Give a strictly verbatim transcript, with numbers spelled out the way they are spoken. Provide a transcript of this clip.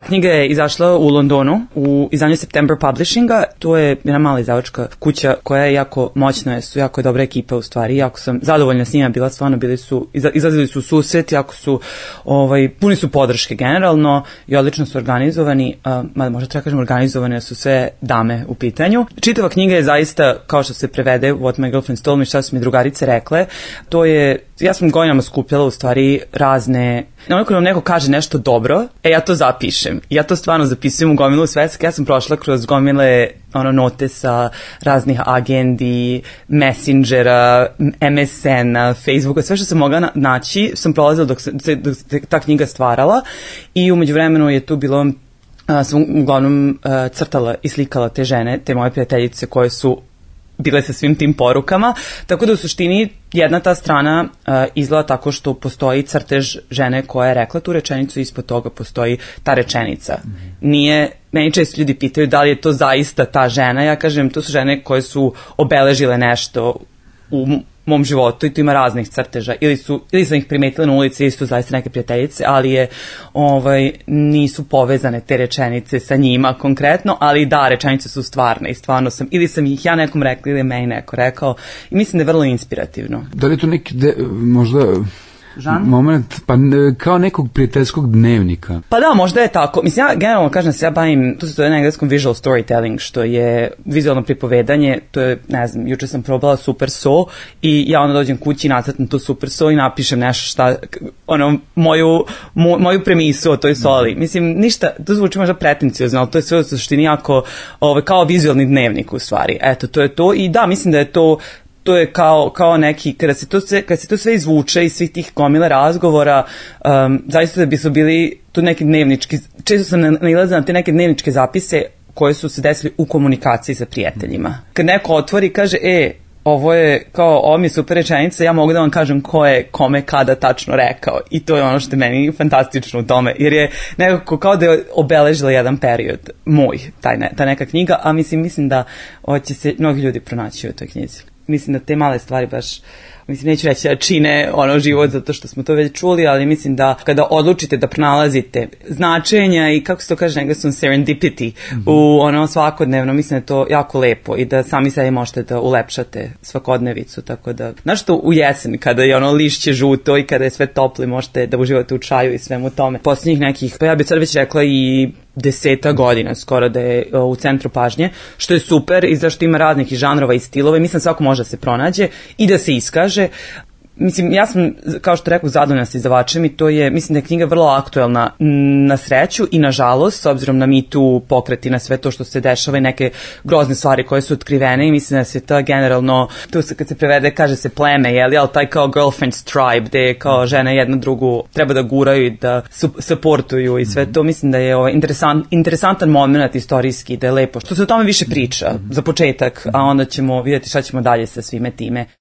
Knjiga je izašla u Londonu u izdanju September Publishinga. To je jedna mala izdavačka kuća koja je jako moćna, su jako dobra ekipa u stvari. Jako sam zadovoljna s njima bila, stvarno bili su, izlazili su u susret, jako su, ovaj, puni su podrške generalno i odlično su organizovani, uh, mada možda treba kažem organizovane su sve dame u pitanju. Čitava knjiga je zaista, kao što se prevede What My Girlfriend Told Me, šta su mi drugarice rekle, to je, ja sam godinama skupljala u stvari razne, onako nam neko kaže nešto dobro, e ja to zapišem. Ja to stvarno zapisujem u gomilu sveska. Ja sam prošla kroz gomile ono, note sa raznih agendi, Messengera, M S N-a, Facebooka, sve što sam mogla naći sam prolazila dok se, dok se ta knjiga stvarala i umeđu vremenu je tu bilo, a, sam uglavnom a, crtala i slikala te žene, te moje prijateljice koje su bile sa svim tim porukama, tako da u suštini jedna ta strana uh, izgleda tako što postoji crtež žene koja je rekla tu rečenicu i ispod toga postoji ta rečenica. Nije, meni često ljudi pitaju da li je to zaista ta žena, ja kažem to su žene koje su obeležile nešto u mom životu i tu ima raznih crteža, ili su ili sam ih primetila na ulici, ili su zaista neke prijateljice, ali je ovaj nisu povezane te rečenice sa njima konkretno, ali da, rečenice su stvarne i stvarno sam, ili sam ih ja nekom rekla ili meni neko rekao i mislim da je vrlo inspirativno. Da li je to neki de, možda Žan? Moment, pa kao nekog prijateljskog dnevnika. Pa da, možda je tako. Mislim, ja generalno kažem da se ja bavim, to se zove na engleskom visual storytelling, što je vizualno pripovedanje, to je, ne znam, juče sam probala Super So i ja onda dođem kući, nacrtam tu Super So i napišem nešto šta, ono, moju, mo, moju premisu o toj soli. Mislim, ništa, to zvuči možda pretenciozno, ali to je sve u suštini jako, ovaj, kao vizualni dnevnik u stvari. Eto, to je to i da, mislim da je to to je kao, kao neki, kada se to sve, kada se to sve izvuče iz svih tih gomila razgovora, um, zaista da bi su bili tu neki dnevnički, često sam nailazila na te neke dnevničke zapise koje su se desili u komunikaciji sa prijateljima. Kad neko otvori i kaže, e, ovo je kao, ovo mi je super rečenica, ja mogu da vam kažem ko je kome kada tačno rekao i to je ono što je meni fantastično u tome, jer je nekako kao da je obeležila jedan period moj, taj ne, ta neka knjiga, a mislim, mislim da će se mnogi ljudi pronaći u toj knjizi. Mislim da te male stvari baš, mislim, neću reći da čine ono život zato što smo to već čuli, ali mislim da kada odlučite da pronalazite značenja i kako se to kaže na engleskom serendipity mm-hmm. u ono svakodnevno, mislim da je to jako lepo i da sami sebi možete da ulepšate svakodnevicu, tako da, znaš što u jesen kada je ono lišće žuto i kada je sve toplo možete da uživate u čaju i svemu tome. Posljednjih nekih, pa ja bih sad već rekla i deseta godina skoro da je u centru pažnje, što je super i zašto ima raznih i žanrova i stilova i mislim svako može da se pronađe i da se iskaže. Mislim, ja sam, kao što rekao, zadovoljna sa izdavačem i to je, mislim da je knjiga vrlo aktuelna na sreću i na žalost, s obzirom na Me Too pokret i na sve to što se dešava i neke grozne stvari koje su otkrivene i mislim da se ta generalno, tu se kad se prevede kaže se pleme, jeli, ali taj kao girlfriend's tribe, gde kao žene jedna drugu treba da guraju i da supportuju i sve to, mislim da je ovaj interesant, interesantan moment istorijski, da je lepo, što se o tome više priča za početak, a onda ćemo vidjeti šta ćemo dalje sa svime time.